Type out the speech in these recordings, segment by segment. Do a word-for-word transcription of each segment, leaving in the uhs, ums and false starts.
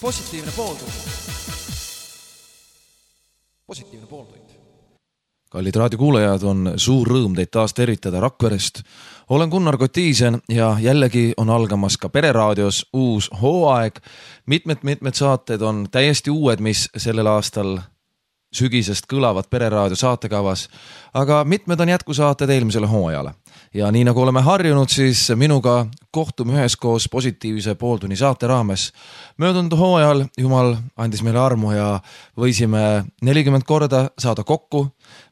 positiivne pooltund. Positiivne pooltund. Kallid raadiokuulajad, on suur rõõm teid taas tervitada Rakverest. Olen Gunnar Kotiisen ja jällegi on algamas ka Pereraadios uus hooaeg. Mitmed-mitmed saated on täiesti uued, mis sellel aastal sügisest kõlavad Pereraadio saatekavas, aga mitmed on jätkusaated eelmisele hooajale. Ja nii nagu oleme harjunud, siis minuga kohtume üheskoos positiivse pooltunni saate raames. Möödunud hooajal Jumal andis meile armu ja võisime nelikümmend korda saada kokku,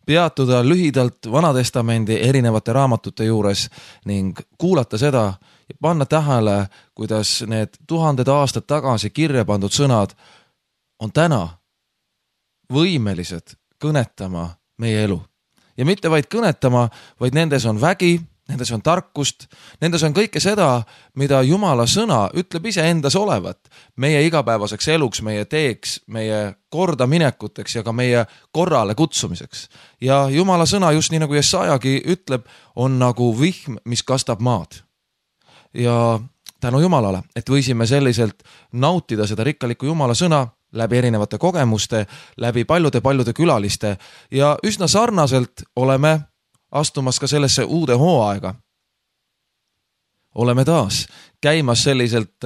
peatuda lühidalt Vanatestamendi erinevate raamatute juures ning kuulata seda ja panna tähele, kuidas need tuhanded aastad tagasi kirja pandud sõnad on täna võimelised kõnetama meie elu. Ja mitte vaid kõnetama, vaid nendes on vägi, nendes on tarkust, nendes on kõike seda, mida Jumala sõna ütleb ise endas olevat meie igapäevaseks eluks, meie teeks, meie kordaminekuteks ja ka meie korrale kutsumiseks. Ja Jumala sõna, just nii nagu Jesajagi ütleb, on nagu vihm, mis kastab maad. Ja tänu Jumalale, et võisime selliselt nautida seda rikkalikku Jumala sõna läbi erinevate kogemuste, läbi paljude-paljude külaliste ja üsna sarnaselt oleme astumas ka sellesse uude hooaega. Oleme taas käimas selliselt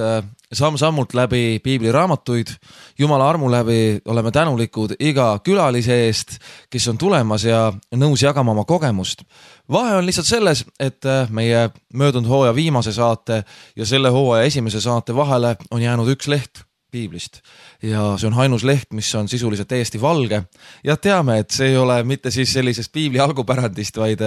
samm-sammult läbi piibliraamatuid, Jumala armu läbi oleme tänulikud iga külalise eest, kes on tulemas ja nõus jagama oma kogemust. Vahe on lihtsalt selles, et meie möödunud hooaja viimase saate ja selle hooaja esimese saate vahele on jäänud üks leht piiblist. Ja see on ainus leht, mis on sisuliselt täiesti valge. Ja teame, et see ei ole mitte siis sellisest piibli algupärandist, vaid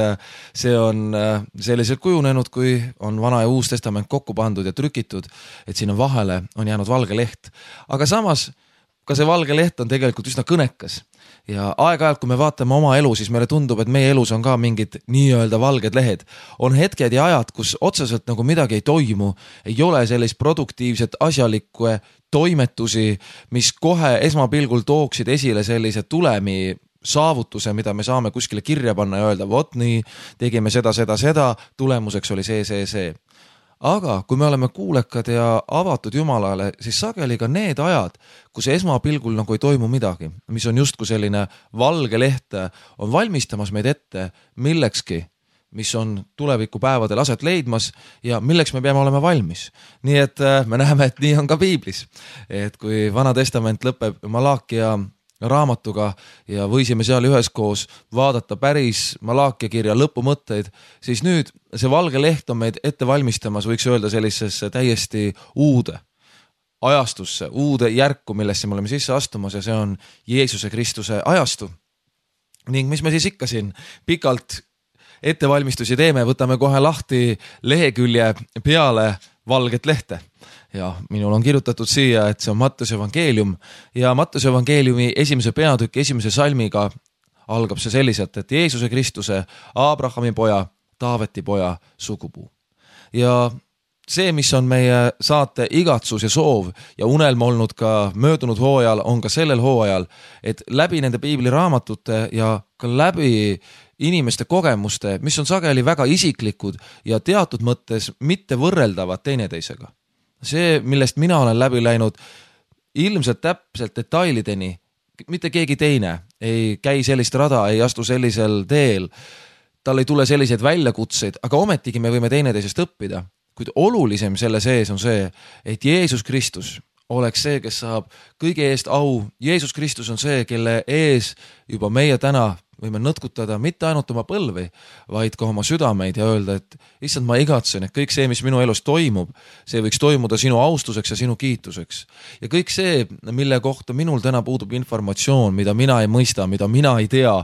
see on selliselt kujunenud, kui on Vana ja Uus Testament kokku pandud ja trükitud, et sinna vahele on jäänud valge leht. Aga samas, ka see valge leht on tegelikult üsna kõnekas. Ja aeg-ajalt, kui me vaatame oma elu, siis meile tundub, et meie elus on ka mingid nii-öelda valged lehed. On hetked ja ajad, kus otseselt nagu midagi ei toimu, ei ole sellist produktiivset asjalikku toimetusi, mis kohe esmapilgul tooksid esile sellise tulemi saavutuse, mida me saame kuskile kirja panna ja öelda, vot nii, tegime seda, seda, seda, tulemuseks oli see, see, see. Aga kui me oleme kuulekad ja avatud Jumalale, siis sageli ka need ajad, kus esmapilgul nagu ei toimu midagi, mis on justku selline valge leht, on valmistamas meid ette millekski, mis on tulevikupäevadel aset leidmas ja milleks me peame olema valmis. Nii et me näeme, et nii on ka piiblis. Et kui Vana Testament lõpeb Malaakia raamatuga ja võisime seal üheskoos vaadata päris Malaakia kirja lõpumõtteid, siis nüüd see valge leht on meid ette valmistamas, võiks öelda sellisesse täiesti uude ajastusse, uude järku, millesse me oleme sisse astumas ja see on Jeesuse Kristuse ajastu. Ning mis me siis ikka siin pikalt ettevalmistusi teeme, võtame kohe lahti lehekülje peale valget lehte. Ja minul on kirjutatud siia, et see on Mattuse evangeelium ja Mattuse evangeeliumi esimese peatüki esimese salmiga algab see selliselt, et Jeesuse Kristuse, Abrahami poja, Taaveti poja sugupuu. Ja see, mis on meie saate igatsus ja soov ja unelma olnud ka möödunud hooajal, on ka sellel hooajal, et läbi nende piibliraamatute ja ka läbi inimeste kogemuste, mis on sageli väga isiklikud ja teatud mõttes mitte võrreldavad teineteisega. See, millest mina olen läbi läinud ilmselt täpselt detailideni, mitte keegi teine ei käi sellist rada, ei astu sellisel teel, tal ei tule selliseid väljakutseid, aga ometigi me võime teineteisest õppida. Kuid olulisem selle sees on see, et Jeesus Kristus oleks see, kes saab kõige eest au. Jeesus Kristus on see, kelle ees juba meie täna võime nõtkutada mitte ainult oma põlvi, vaid ka oma südameid ja öelda, et issand, ma igatsen, et kõik see, mis minu elus toimub, see võiks toimuda sinu austuseks ja sinu kiituseks. Ja kõik see, mille kohta minul täna puudub informatsioon, mida mina ei mõista, mida mina ei tea,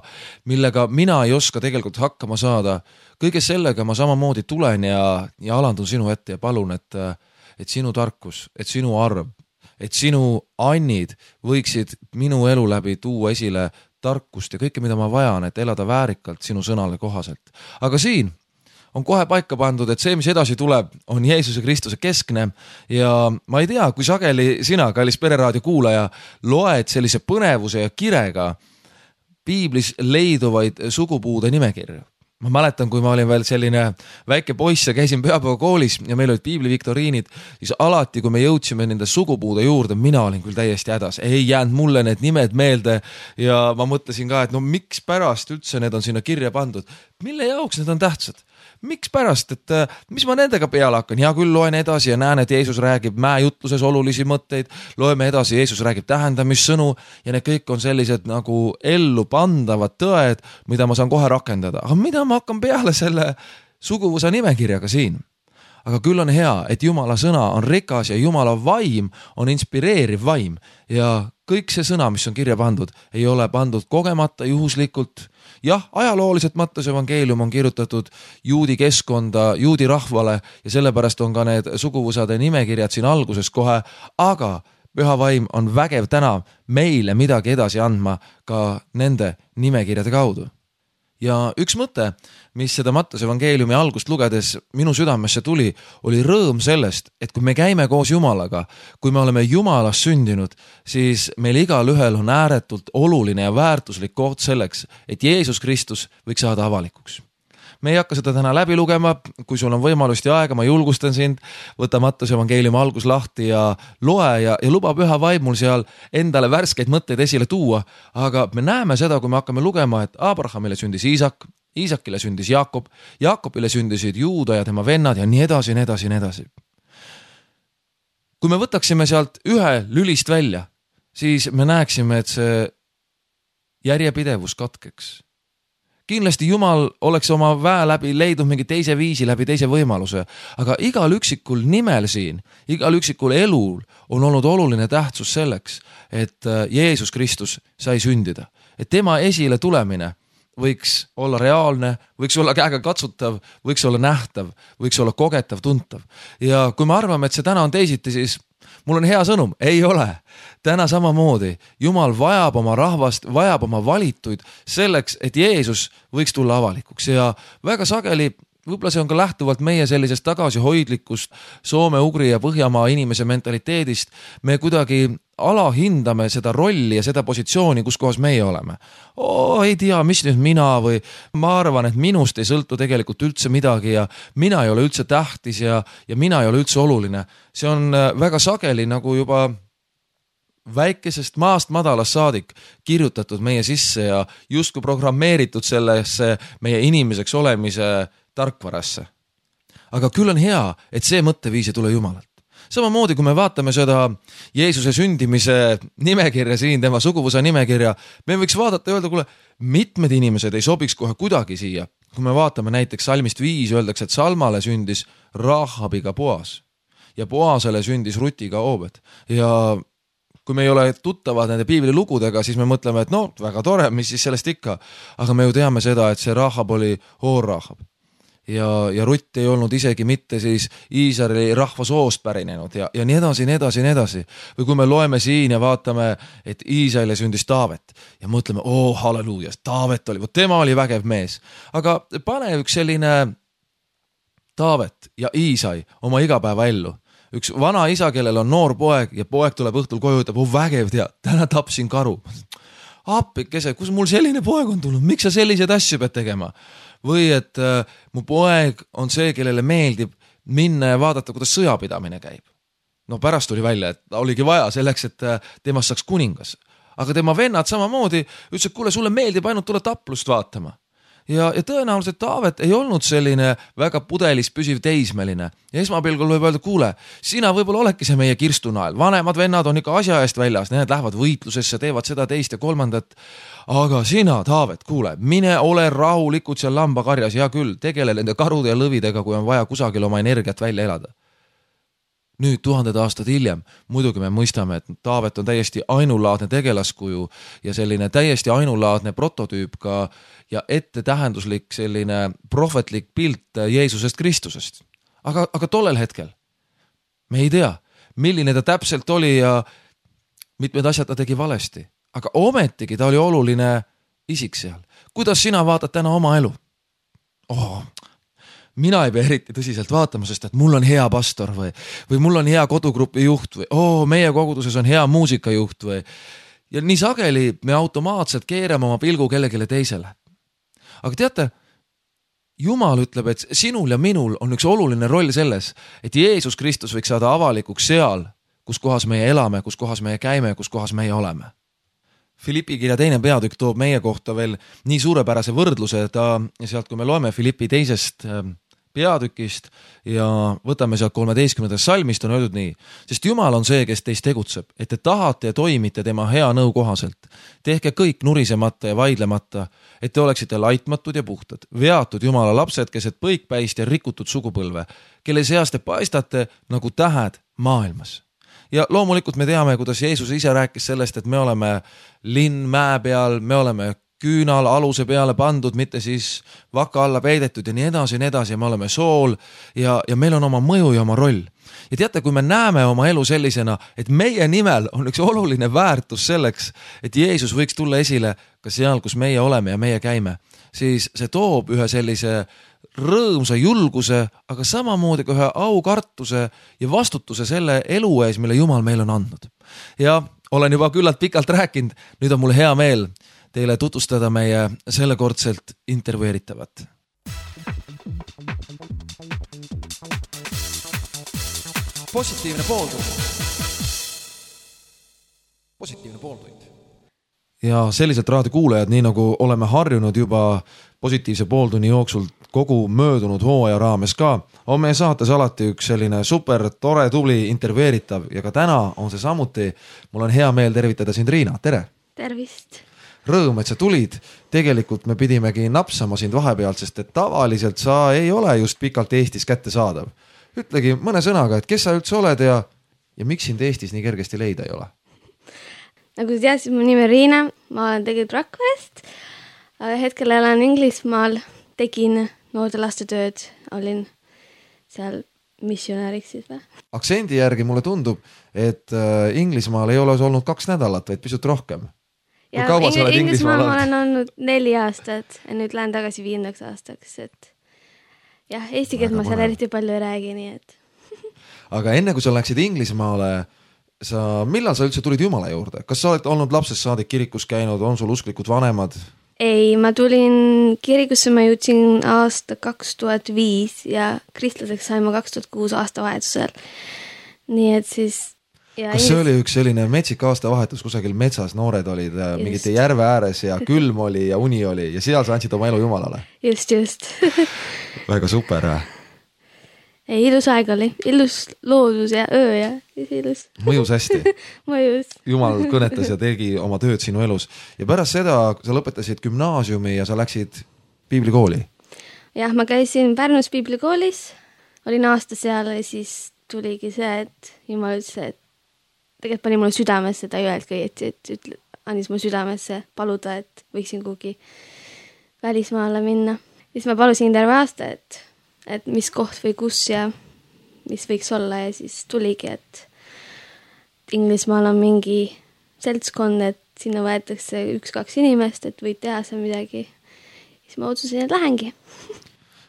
millega mina ei oska tegelikult hakkama saada, kõige sellega ma samamoodi tulen ja, ja alandun sinu ette ja palun, et, et sinu tarkus, et sinu arv, et sinu annid võiksid minu elu läbi tuua esile tarkust ja kõike, mida ma vajan, et elada väärikalt sinu sõnale kohaselt. Aga siin on kohe paika pandud, et see, mis edasi tuleb, on Jeesuse Kristuse keskne ja ma ei tea, kui sageli sina, kallis Pereraadio kuulaja, loed sellise põnevuse ja kirega piiblis leiduvaid sugupuude nimekirju. ma mäletan, kui ma olin veel selline väike poiss ja käisin pühapäeva koolis ja meil olid piibliviktoriinid, siis alati, kui me jõudsime nende sugupuude juurde, mina olin küll täiesti hädas, ei jäänud mulle need nimed meelde ja ma mõtlesin ka, et no miks pärast üldse need on sinna kirja pandud, mille jaoks need on tähtsad? Miks pärast, et mis ma nendega peale hakkan? Hea küll, loen edasi ja näen, et Jeesus räägib mäejutluses olulisi mõtteid, loeme edasi, Jeesus räägib tähendamissõnu ja need kõik on sellised nagu ellu pandavad tõed, mida ma saan kohe rakendada. Aga mida ma hakkan peale selle suguvõsa nimekirjaga siin? Aga küll on hea, et Jumala sõna on rikas ja Jumala vaim on inspireeriv vaim ja kõik see sõna, mis on kirja pandud, ei ole pandud kogemata, juhuslikult. Jah, ajalooliselt Matteuse evangeelium on kirjutatud juudi keskkonda, juudi rahvale ja sellepärast on ka need suguvõsade nimekirjad siin alguses kohe, aga püha vaim on vägev täna meile midagi edasi andma ka nende nimekirjade kaudu. Ja üks mõte, mis seda Matteuse evangeeliumi algust lugedes minu südamesse tuli, oli rõõm sellest, et kui me käime koos Jumalaga, kui me oleme Jumalast sündinud, siis meil igal ühel on ääretult oluline ja väärtuslik koht selleks, et Jeesus Kristus võiks saada avalikuks. Me ei hakka seda täna läbi lugema, kui sul on võimalust ja aega, ma julgustan sind, võta Matteuse evangeeliumi algus lahti ja loe ja, ja luba püha vaimul seal endale värskeid mõtteid esile tuua, aga me näeme seda, kui me hakkame lugema, et Abrahamile sündis Iisak, Iisakile sündis Jaakob, Jaakobile sündisid Juuda ja tema vennad ja nii edasi, nii edasi, nii edasi. Kui me võtaksime sealt ühe lülist välja, siis me näeksime, et see järjepidevus katkeks. Kindlasti Jumal oleks oma väe läbi leidnud mingi teise viisi, läbi teise võimaluse, aga igal üksikul nimel siin, igal üksikul elul on olnud oluline tähtsus selleks, et Jeesus Kristus sai sündida. Et tema esile tulemine võiks olla reaalne, võiks olla käega katsutav, võiks olla nähtav, võiks olla kogetav, tuntav. Ja kui me arvame, et see täna on teisiti, siis mul on hea sõnum, ei ole. Täna samamoodi Jumal vajab oma rahvast, vajab oma valituid selleks, et Jeesus võiks tulla avalikuks ja väga sageli, võib-olla see on ka lähtuvalt meie sellisest tagasihoidlikust Soome, Ugri ja Põhjamaa inimese mentaliteedist, me kuidagi alahindame seda rolli ja seda positsiooni, kus kohas meie oleme. Oo, ei tea, mis nüüd mina või ma arvan, et minust ei sõltu tegelikult üldse midagi ja mina ei ole üldse tähtis ja, ja mina ei ole üldse oluline. See on väga sageli nagu juba väikesest maast madalast saadik kirjutatud meie sisse ja justkui programmeeritud sellesse meie inimeseks olemise tarkvarasse. Aga küll on hea, et see mõtteviis ei tule Jumalalt. Samamoodi, kui me vaatame seda Jeesuse sündimise nimekirja siin, tema suguvõsa nimekirja, me võiks vaadata ja öelda, kuule, mitmed inimesed ei sobiks kohe kuidagi siia. Kui me vaatame näiteks salmist viis, öeldakse, et Salmale sündis Rahabiga Boas ja Boasele sündis Rutiga Obed. Ja kui me ei ole tuttavad nende piibli lugudega, siis me mõtleme, et no, väga tore, mis siis sellest ikka. Aga me ju teame seda, et see Rahab oli Hoor-Rahab. Ja, ja Rutt ei olnud isegi mitte siis Iisraeli rahvasoost pärinenud ja, ja nii edasi, nii edasi, nii edasi. Või kui me loeme siin ja vaatame, et Iisraeli sündis Taavet ja mõtleme, oo, halleluuja, Taavet oli, tema oli vägev mees. Aga pane üks selline Taavet ja Iisai oma igapäeva ellu. Üks vana isa, kellel on noor poeg ja poeg tuleb õhtul koju, ütleb, oh vägev tea, täna tapsin karu. Appikese, kus mul selline poeg on tulnud, miks sa sellised asju pead tegema? Või et äh, mu poeg on see, kellele meeldib minna ja vaadata, kuidas sõjapidamine käib. No pärast tuli välja, et oligi vaja selleks, et äh, temast saaks kuningas. Aga tema vennad samamoodi ütles, et kuule, sulle meeldib ainult tulla taplust vaatama. Ja, ja tõenäoliselt Taavet ei olnud selline väga pudelis püsiv teismeline. Ja esmapilgul võib öelda, kuule, sina võib-olla olekki see meie kirstunael. Vanemad vennad on ikka asja eest väljas, need lähevad võitlusesse, teevad seda teist ja kolmandat. Aga sina, Taavet, kuule, mine ole rahulikud seal lambakarjas, ja küll, tegele nende karude ja lõvidega, kui on vaja kusagil oma energiat välja elada. Nüüd tuhanded aastad hiljem, muidugi me mõistame, et Taavet on täiesti ainulaadne tegelaskuju ja selline täiesti ainulaadne prototüüp ka ja ette tähenduslik selline prohvetlik pilt Jeesusest Kristusest. Aga, aga tollel hetkel me ei tea, milline ta täpselt oli ja mitmed asjad ta tegi valesti. Aga ometigi ta oli oluline isik seal. Kuidas sina vaatad täna oma elu? Oh, mina ei pea eriti tõsiselt vaatama, sest et mul on hea pastor või, või mul on hea kodugrupi juht või oo, meie koguduses on hea muusikajuht või. Ja nii sageli me automaatselt keerame oma pilgu kellegile teisele. Aga teate, Jumal ütleb, et sinul ja minul on üks oluline roll selles, et Jeesus Kristus võiks saada avalikuks seal, kus kohas meie elame, kus kohas meie käime, kus kohas meie oleme. Filippi kirja teine peatükk toob meie kohta veel nii suurepärase võrdluse, ta sealt, kui me loeme Filippi teisest peatükist ja võtame sealt kolmeteistkümnendast salmist, on öeldud nii. Sest Jumal on see, kes teist tegutseb, et te tahate ja toimite tema hea nõu kohaselt. Tehke kõik nurisemata ja vaidlemata, et te oleksite laitmatud ja puhtad, veatud Jumala lapsed, keset põikpäist ja rikutud sugupõlve, kelle seast te paistate nagu tähed maailmas. Ja loomulikult me teame, kuidas Jeesus ise rääkis sellest, et me oleme linn mäe peal, me oleme küünal aluse peale pandud, mitte siis vaka alla peidetud ja nii edasi ja nii edasi ja me oleme sool ja, ja meil on oma mõju ja oma roll. Ja teate, kui me näeme oma elu sellisena, et meie nimel on üks oluline väärtus selleks, et Jeesus võiks tulla esile ka seal, kus meie oleme ja meie käime, siis see toob ühe sellise rõõmsa julguse, aga samamoodi ka ühe aukartuse ja vastutuse selle elu ees, mille Jumal meil on andnud. Ja olen juba küllalt pikalt rääkinud, nüüd on mul hea meel teile tutvustada meie sellekordselt intervjueeritavat. Positiivne pooltund. Positiivne pooltund. Ja selliselt raadiokuulajad, nii nagu oleme harjunud juba positiivse pooltunni jooksul kogu möödunud hooaja raames ka, on meie saates alati üks selline super tore tubli intervjueeritav ja ka täna on see samuti. Mul on hea meel tervitada sind, Riina, tere! Tervist! Rõõm, et sa tulid. Tegelikult me pidimegi napsama sind vahepealt, sest et tavaliselt sa ei ole just pikalt Eestis kätte saadav. Ütlegi mõne sõnaga, et kes sa üldse oled ja, ja miks sind Eestis nii kergesti leida ei ole? Nagu sa teadsid, mu nimi on Riina, ma olen tegelikult Rakverest, aga hetkel elan Inglismaal, tegin noorte laste tööd, olin seal missionäriks siis või? Aktsendi järgi mulle tundub, et Inglismaal ei ole olnud kaks nädalat, vaid pisut rohkem. Ja Ing- Inglismaal ma olen olnud neli aastat ja nüüd lähen tagasi viiendaks aastaks, et jah, eesti keelt ma seal eriti palju ei räägi, nii et. Aga enne kui sa läksid Inglismaale, sa, millal sa üldse tulid Jumala juurde? Kas sa oled olnud lapsest saadik kirikus käinud, on sul usklikud vanemad? Ei, ma tulin kirikusse, ma jõudsin aasta kaks tuhat viis ja kristlaseks sain ma kaks tuhat kuus aasta vahetusel. Nii et siis ja kas see oli üks selline metsik aasta vahetus, kusagil metsas noored olid just. Mingite järve ääres ja külm oli ja uni oli ja seal sa andsid oma elu Jumalale? Just, just. Väga super. Ei, ilus aeg oli, ilus loodus ja öö ja ilus. Mõjus hästi. Mõjus. Jumal kõnetas ja tegi oma tööd sinu elus. Ja pärast seda sa lõpetasid gümnaasiumi ja sa läksid piiblikooli. Jah, ma käisin Pärnus piiblikoolis, olin aasta seal ja siis tuligi see, et Jumal ütles, et tegelikult pani mulle südamesse, ta ei öelnud kõieti, et ütle, andis mulle südamesse paluda, et võiksin kuhugi välismaale minna. Siis ma palusin terve aasta, et, et mis koht või kus ja mis võiks olla ja siis tuligi, et Inglismaal on mingi seltskond, et sinna võetakse üks-kaks inimest, et võid teha seal midagi. Siis ma otsusin, et lähengi.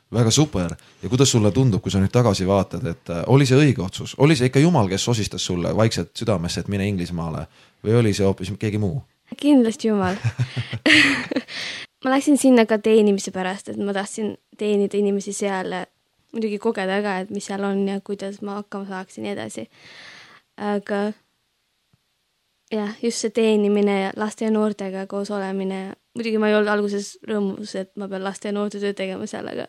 Väga super. Ja kuidas sulle tundub, kui sa nüüd tagasi vaatad, et oli see õige otsus? Oli see ikka Jumal, kes osistas sulle vaikselt südamesse, et mine Inglismaale või oli see hoopis keegi muu? Kindlasti Jumal. Ma läksin sinna ka teenimise pärast, et ma tahtsin teenida inimesi seal, muidugi kogeda ka, et mis seal on ja kuidas ma hakkama saaksin ja edasi. Aga jah, just see teenimine ja laste ja noortega koos olemine. Muidugi ma ei olnud alguses rõõmus, et ma pean laste ja noorte töö tegema seal, aga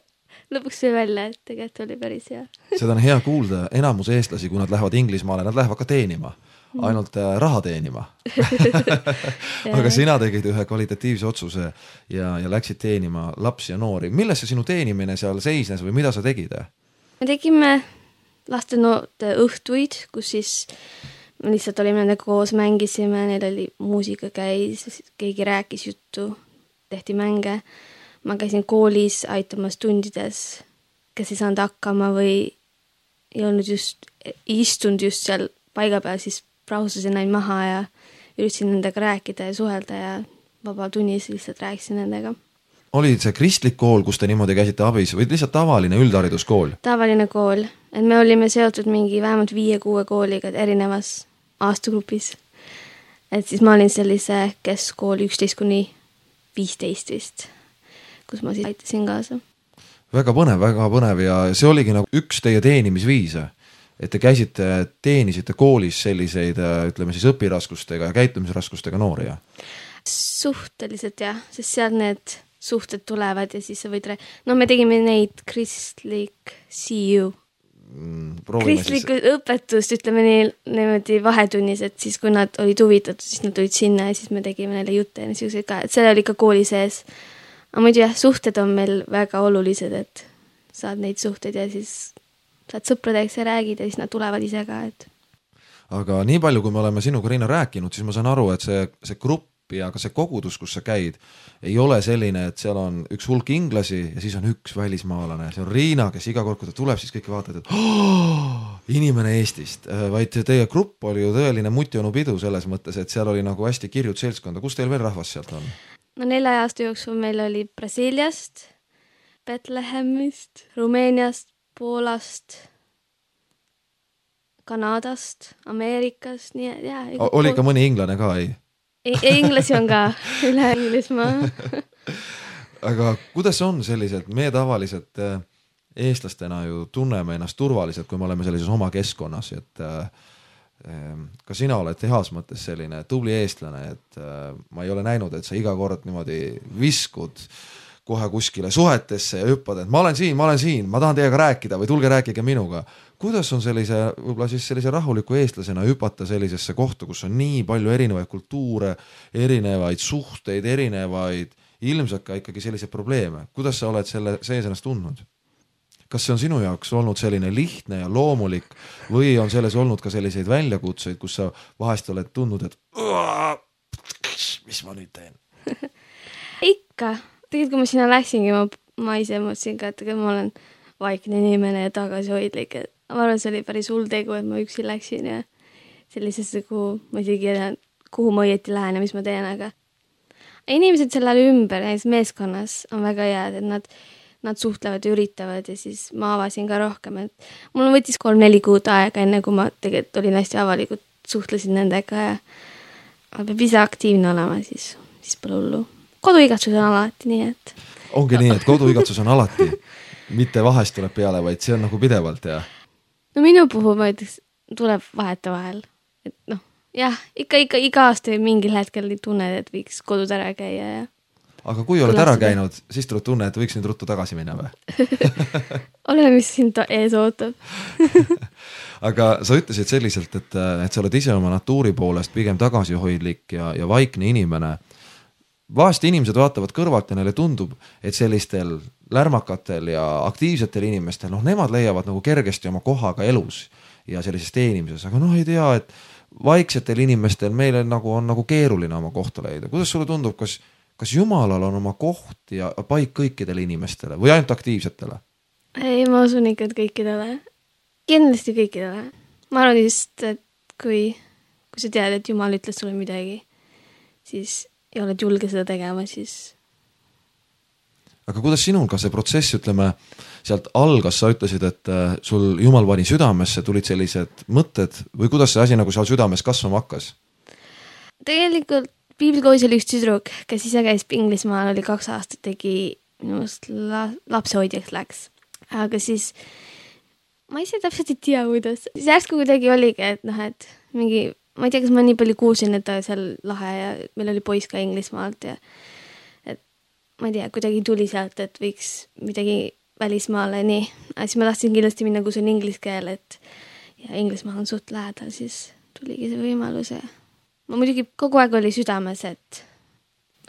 lõpuks sai välja, et tegelikult oli päris hea. Seda on hea kuulda. Enamus eestlasi, kui nad lähevad Inglismaale, nad lähevad ka teenima. Ainult raha teenima. Aga sina tegid ühe kvalitatiivse otsuse ja, ja läksid teenima lapsi ja noori. Milles see sinu teenimine seal seisnes või mida sa tegid? Me tegime laste noorte õhtuid, kus siis me lihtsalt olime nendega koos, mängisime, neil oli muusika käis, keegi rääkis juttu, tehti mänge. Ma käisin koolis aitamas tundides, kes ei saanud hakkama või ei olnud just, istunud just seal paiga peal, siis brausasin näin maha ja üritasin nendega rääkida ja suhelda ja vaba tunnis lihtsalt rääkisin nendega. Oli see kristlik kool, kus te niimoodi käisite abis või lihtsalt tavaline üldhariduskool? Tavaline kool, et me olime seotud mingi vähemalt viie-kuue kooliga erinevas aastagrupis. Et siis ma olin sellise keskkooli üksteist kuni viisteist vist, kus ma siis aitasin kaasa. väga põnev, väga põnev ja see oligi nagu üks teie teenimisviise, et te käisite, teenisite koolis selliseid, ütleme siis õpiraskustega ja käitumisraskustega noori, jah? Suhteliselt jah, sest seal need suhted tulevad ja siis sa võid... No me tegime neid kristlik C U. Mm, kristlikku siis... õpetust, ütleme nii, niimoodi vahetunnis, et siis kui nad olid huvitatud, siis nad tulid sinna ja siis me tegime neile jutte ja niisugused ka, et see oli ka kooli sees. Aga muidu jah, suhted on meil väga olulised, et saad neid suhted ja siis saad sõpradeks ja räägid ja siis nad tulevad ise ka, et... Aga nii palju, kui me oleme sinuga, Riina, rääkinud, siis ma saan aru, et see, see grupp ja ka see kogudus, kus sa käid, ei ole selline, et seal on üks hulk inglasi ja siis on üks välismaalane. See on Riina, kes iga kord, kui ta tuleb, siis kõik vaatavad, et oh, inimene Eestist. Vaid teie grupp oli ju tõeline mutjonu pidu selles mõttes, et seal oli nagu hästi kirjud seltskonda. Kus teil veel rahvas sealt on? No nelja aasta jooksul meil oli Brasiiliast, Betlehemist, Rumeeniast, Poolast, Kanadast, Ameerikast, nii ja... Oli ka mõni inglane ka, ei? Ei, inglasi on ka, üle Inglismaa. Aga kuidas on sellised, me tavaliselt eestlastena ju tunneme ennast turvaliselt, kui me oleme sellises oma keskkonnas, et ka sina oled heas mõttes selline tubli eestlane, et ma ei ole näinud, et sa iga kord niimoodi viskud kohe kuskile suhetesse ja hüppad, et ma olen siin, ma olen siin, ma tahan teiega rääkida või tulge rääkige minuga. Kuidas on sellise, võib-olla siis sellise rahuliku eestlasena hüpata sellisesse kohta, kus on nii palju erinevaid kultuure, erinevaid suhteid, erinevaid, ilmselt ka ikkagi selliseid probleeme. Kuidas sa oled selle sees ennast tundnud? Kas see on sinu jaoks olnud selline lihtne ja loomulik või on selles olnud ka selliseid väljakutseid, kus sa vahest oled tundnud, et mis ma nüüd teen? Ikka. Tegelikult, kui ma sinna läksingi, ma, ma ise mõtlesin ka, et ma olen vaikne inimene ja tagasihoidlik. Et ma arvan, see oli päris hull tegu, et ma üksi läksin ja sellisesse, kuhu ma isegi ei tea, kuhu ma õieti lähen ja mis ma teen, aga inimesed sellele ümber, näiteks meeskonnas on väga head, et nad, nad suhtlevad ja üritavad ja siis ma avasin ka rohkem, et mul võttis kolm-neli kuud aega, enne kui ma tegelikult olin hästi avalikult, suhtlesin nendega ja peab ise aktiivne olema, siis, siis pole hullu. Koduigatsus on alati nii, et... Ongi nii, et koduigatsus on alati, mitte vahest tuleb peale, vaid see on nagu pidevalt, jah? No minu puhul ma ütleks, tuleb vaheta vahel. Et noh, jah, ikka, ikka iga aasta mingil hetkel tunned, et võiks kodud ära käia ja... Aga kui oled ära käinud, siis tuleb tunne, et võiks nüüd ruttu tagasi minna või? Oleme, mis sind ees ootab. Aga sa ütlesid selliselt, et, et sa oled ise oma natuuri poolest pigem tagasihoidlik ja, ja vaikne inimene. Vahest inimesed vaatavad kõrvalt ja neile tundub, et sellistel lärmakatel ja aktiivsetel inimestel, noh, nemad leiavad nagu kergesti oma kohaga elus ja sellises teenimises, aga noh, ei tea, et vaiksetel inimestel meil on nagu, on nagu keeruline oma kohta leida. Kuidas sulle tundub, kas, kas Jumalal on oma koht ja paik kõikidele inimestele või ainult aktiivsetele? Ei, ma usun ikka, et kõikidele. Kindlasti kõikidele. Ma arvan just, et kui, kui sa tead, et Jumal ütles sulle midagi, siis ja oled julge seda tegema, siis... Aga kuidas sinul ka see protsess, ütleme, sealt algas, sa ütlesid, et sul Jumal pani südamesse, tulid sellised mõtted või kuidas see asi nagu seal südames kasvama hakkas? Tegelikult piiblikoos oli üks tüdruk, kes ise käis Inglismaal, oli kaks aastat, tegi minust la, lapsehoidjaks läks. Aga siis ma ise täpselt ei tea, kuidas. Siis järsku kuidagi oligi, et noh, et mingi... Ma ei tea, kas ma nii palju kuulsin, et ta seal lahe ja meil oli poiss ka Inglismaalt ja et ma ei tea, kuidagi tuli sealt, et võiks midagi välismaale nii. Aga siis ma tahtsin kindlasti minna, kus on inglise keel, et ja Inglismaal on suht lähedal, siis tuligi see võimalus. Ja ma muidugi kogu aeg oli südames, et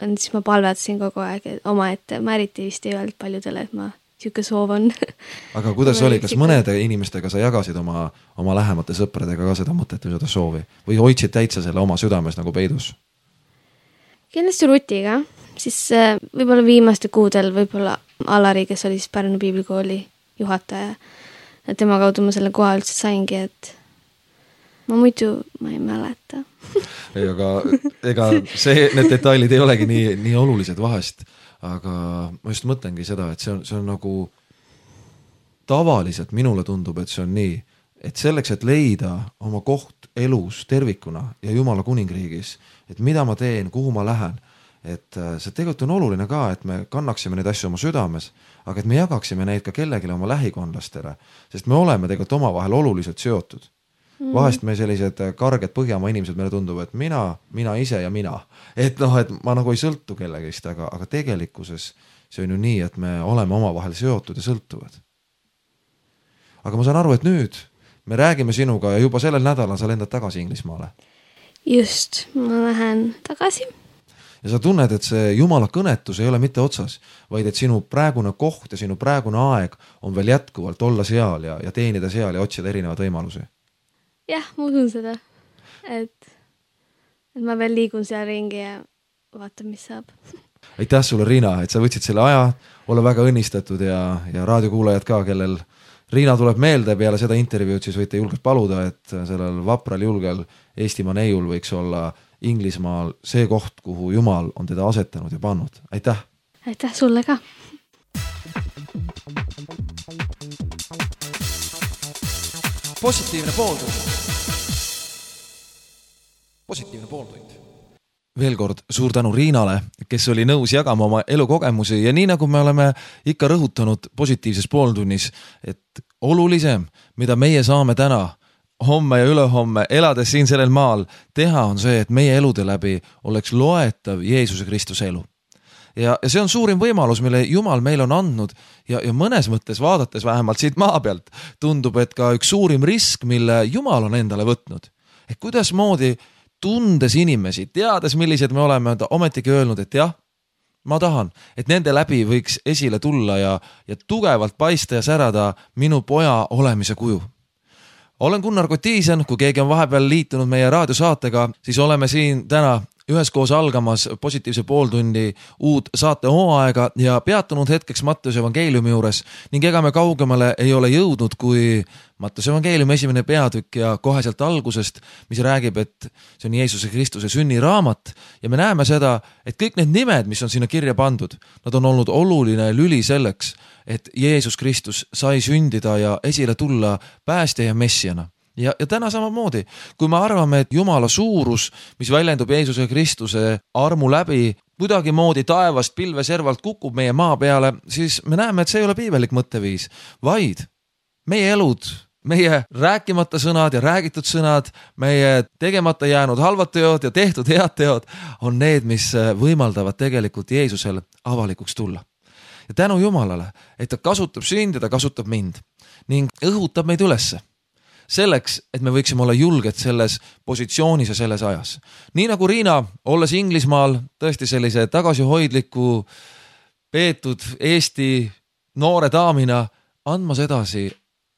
siis ma palvetasin kogu aeg et oma ette. Ma eriti vist ei öelnud paljudele, et ma siuke soov on. Aga kuidas oli, kas mõnede inimestega sa jagasid oma, oma lähemate sõpradega ka seda mõtet või seda soovi? Või hoidsid täitsa selle oma südames nagu peidus? Kindlasti Rutiga, siis võib-olla viimaste kuudel võib-olla Alari, kes oli siis Pärnu piiblikooli juhataja. Ja tema kaudu ma selle koha üldse saingi, et ma muidu ma ei mäleta. Ei, aga ega see, need detailid ei olegi nii, nii olulised vahest. Aga ma just mõtlengi seda, et see on, see on nagu tavaliselt minule tundub, et see on nii, et selleks, et leida oma koht elus tervikuna ja Jumala kuningriigis, et mida ma teen, kuhu ma lähen, et see tegelikult on oluline ka, et me kannaksime neid asju oma südames, aga et me jagaksime neid ka kellelegi oma lähikondlastele, sest me oleme tegelikult omavahel oluliselt seotud. Vahest me sellised karged Põhjamaa inimesed, meile tundub, et mina, mina ise ja mina. Et noh, et ma nagu ei sõltu kellegist, aga, aga tegelikkuses see on ju nii, et me oleme omavahel seotud ja sõltuvad. Aga ma saan aru, et nüüd me räägime sinuga ja juba sellel nädalal sa lendad tagasi Inglismaale. Just, ma lähen tagasi. Ja sa tunned, et see Jumala kõnetus ei ole mitte otsas, vaid et sinu praegune koht ja sinu praegune aeg on veel jätkuvalt olla seal ja, ja teenida seal ja otsida erinevad võimalusi. Jah, ma usun seda, et, et ma veel liigun seal ringi ja vaatan, mis saab. Aitäh sulle, Riina, et sa võtsid selle aja, ole väga õnnistatud ja, ja raadiokuulajad ka, kellel Riina tuleb meelde peale seda intervjuud, siis võite julgelt paluda, et sellel vapral julgel Eestimaa neiul võiks olla Inglismaal see koht, kuhu Jumal on teda asetanud ja pannud. Aitäh! Aitäh sulle ka! Positiivne pooltund. Positiivne pooltund. Veel kord suur tänu Riinale, kes oli nõus jagama oma elukogemusi ja nii nagu me oleme ikka rõhutanud positiivses pooltunnis, et olulisem, mida meie saame täna, homme ja ülehomme, elades siin sellel maal, teha on see, et meie elude läbi oleks loetav Jeesuse Kristuse elu. Ja, ja see on suurim võimalus, mille Jumal meil on andnud ja, ja mõnes mõttes vaadates vähemalt siit maa pealt tundub, et ka üks suurim risk, mille Jumal on endale võtnud. Et kuidas moodi tundes inimesi, teades millised me oleme, ta ometigi öelnud, et jah, ma tahan, et nende läbi võiks esile tulla ja, ja tugevalt paista ja särada minu poja olemise kuju. Olen Gunnar Kotiisen, kui keegi on vahepeal liitunud meie raadiosaatega, siis oleme siin täna üheskoos algamas positiivse pooltundi uut saate hooaega ja peatunud hetkeks Matteuse evangeeliumi juures ning ega me kaugemale ei ole jõudnud kui Matteuse evangeeliumi esimene peatükk ja kohe sealt algusest, mis räägib, et see on Jeesuse Kristuse sünniraamat ja me näeme seda, et kõik need nimed, mis on sinna kirja pandud, nad on olnud oluline lüli selleks, et Jeesus Kristus sai sündida ja esile tulla päästja ja messiana. Ja, ja täna samamoodi, kui me arvame, et Jumala suurus, mis väljendub Jeesuse Kristuse armu läbi, kuidagi moodi taevast pilveservalt kukub meie maa peale, siis me näeme, et see ei ole piibelik mõtteviis, vaid meie elud, meie rääkimata sõnad ja räägitud sõnad, meie tegemata jäänud halvad teod ja tehtud head teod on need, mis võimaldavad tegelikult Jeesusel avalikuks tulla. Ja tänu Jumalale, et ta kasutab sind ja ta kasutab mind ning õhutab meid ülesse. Selleks, et me võiksime olla julged selles positsioonis ja selles ajas. Nii nagu Riina, olles Inglismaal tõesti sellise tagasihoidliku peetud Eesti noore daamina, andmas edasi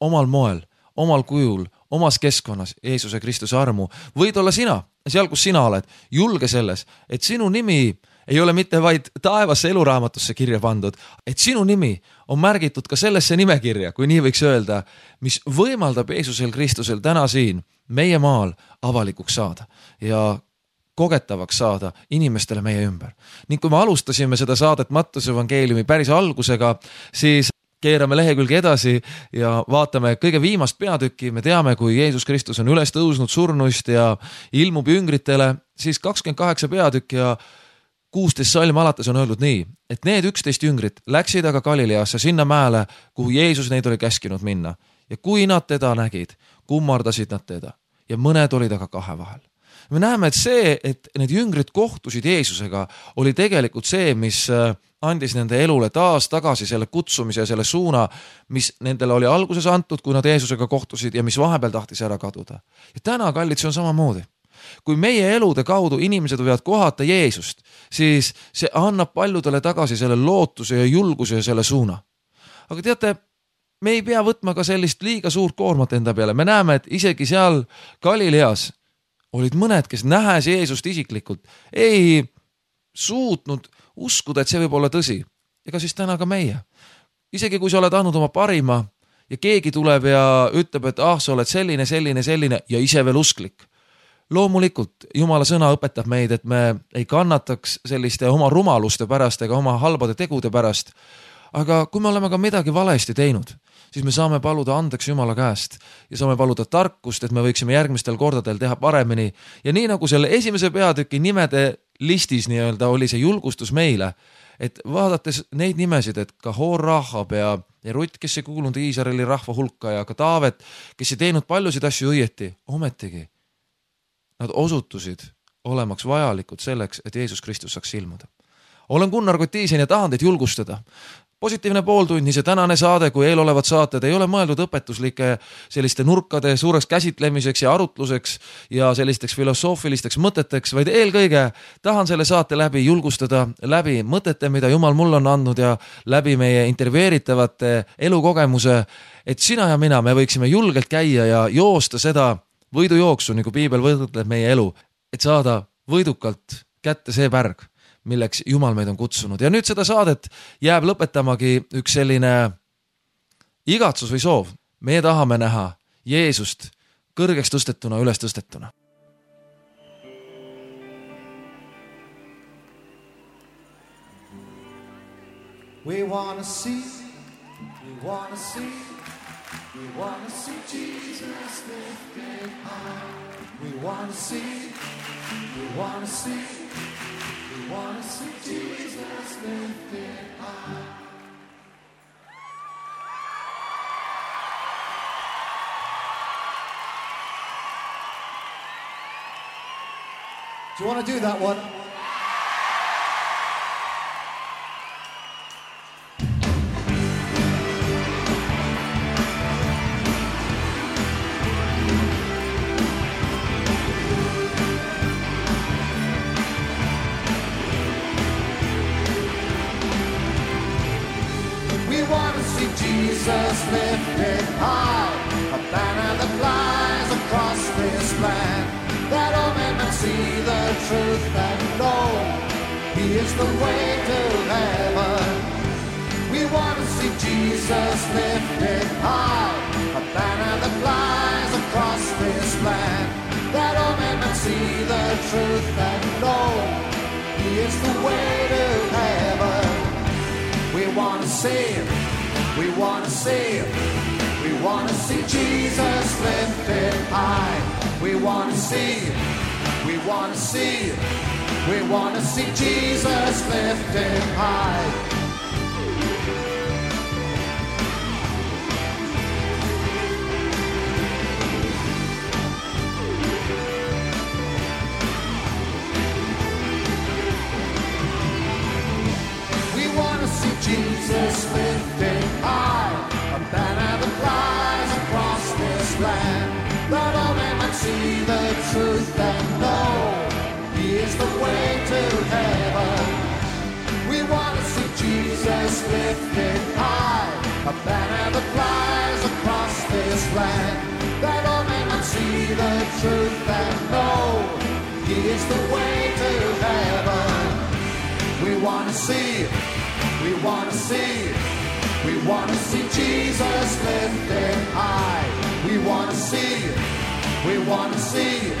omal moel, omal kujul, omas keskkonnas Jeesuse Kristuse armu. Võid olla sina, seal kus sina oled, julge selles, et sinu nimi ei ole mitte vaid taevasse eluraamatusse kirja pandud, et sinu nimi on märgitud ka sellesse nimekirja, kui nii võiks öelda, mis võimaldab Jeesusel Kristusel täna siin meie maal avalikuks saada ja kogetavaks saada inimestele meie ümber. Ning kui me alustasime seda saadet Matteuse evangeeliumi päris algusega, siis keerame lehekülge edasi ja vaatame kõige viimast peatükki. Me teame, kui Jeesus Kristus on üles tõusnud surnuist ja ilmub jüngritele, siis kakskümmend kaheksa peatükk ja kuusteist salm alates on öeldud nii, et need üksteist jüngrit läksid aga Galileasse sinna mäele, kuhu Jeesus neid oli käskinud minna. Ja kui nad teda nägid, kummardasid nad teda ja mõned olid aga kahe vahel. Me näeme, et see, et need jüngrid kohtusid Jeesusega, oli tegelikult see, mis andis nende elule taas tagasi selle kutsumise ja selle suuna, mis nendele oli alguses antud, kui nad Jeesusega kohtusid ja mis vahepeal tahtis ära kaduda. Ja täna, kallid, see on samamoodi. Kui meie elude kaudu inimesed võivad kohata Jeesust, siis see annab paljudele tagasi selle lootuse ja julguse ja selle suuna. Aga teate, me ei pea võtma ka sellist liiga suurt koormat enda peale. Me näeme, et isegi seal Galileas olid mõned, kes nähes Jeesust isiklikult, ei suutnud uskuda, et see võib olla tõsi. Ega siis täna ka meie. Isegi kui sa oled andnud oma parima ja keegi tuleb ja ütleb, et ah, sa oled selline, selline, selline ja ise veel usklik. Loomulikult Jumala sõna õpetab meid, et me ei kannataks selliste oma rumaluste pärast ega oma halbade tegude pärast. Aga kui me oleme ka midagi valesti teinud, siis me saame paluda andeks Jumala käest ja saame paluda tarkust, et me võiksime järgmistel kordadel teha paremini. Ja nii nagu selle esimese peatüki nimede listis nii-öelda oli see julgustus meile, et vaadates neid nimesid, et ka Hor Rahab ja, ja Rutt, kes ei kuulunud Iisraeli rahva hulka ja ka Taavet, kes ei teinud paljusid asju õieti, ometigi nad osutusid olemaks vajalikud selleks, et Jeesus Kristus saaks ilmuda. Olen Gunnar Kotiisen ja tahan teid julgustada. Positiivne pooltund, nii see tänane saade kui eelolevad saated ei ole mõeldud õpetuslike selliste nurkade suureks käsitlemiseks ja arutluseks ja sellisteks filosoofilisteks mõteteks, vaid eelkõige tahan selle saate läbi julgustada läbi mõtete, mida Jumal mulle on andnud ja läbi meie intervjueeritavate elukogemuse, et sina ja mina, me võiksime julgelt käia ja joosta seda võidujooksu, nagu Piibel võrdleb meie elu, et saada võidukalt kätte see pärg, milleks Jumal meid on kutsunud. Ja nüüd seda saadet jääb lõpetamagi üks selline igatsus või soov. Meie tahame näha Jeesust kõrgeks tõstetuna, üles tõstetuna. We wanna see, we wanna see, we wanna see Jesus lifted high. We wanna see, we wanna see, we wanna see Jesus lifted high. Do you want to do that one? Jesus lifted high, a banner that flies across this land, that all men may see the truth and know He is the way to heaven. We want to see Jesus lifted high, a banner that flies across this land, that all men may see the truth and know He is the way to heaven. We want to see Him. We want to see, we want to see Jesus lifted high. We want to see, we want to see, we want to see Jesus lifted high. We want to see Jesus lifted high, a banner that flies across this land, that all men might see the truth and know He is the way to heaven. We want to see Jesus lifted high, a banner that flies across this land, that all men might see the truth and know He is the way to heaven. We want to see, we want to see, we want to see Jesus lifted high. We want to see, we want to see,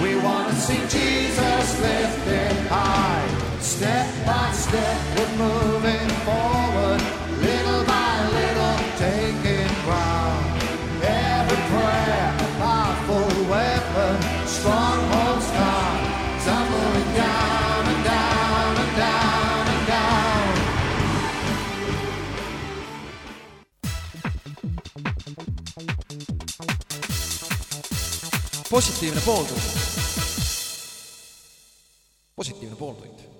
we want to see Jesus lifted high. Step by step we're moving forward, little by little taking ground. Every prayer, a powerful weapon, strongholds gone, tumbling down and down and down and down. Positiivne pooltund. Positiivne pooltund.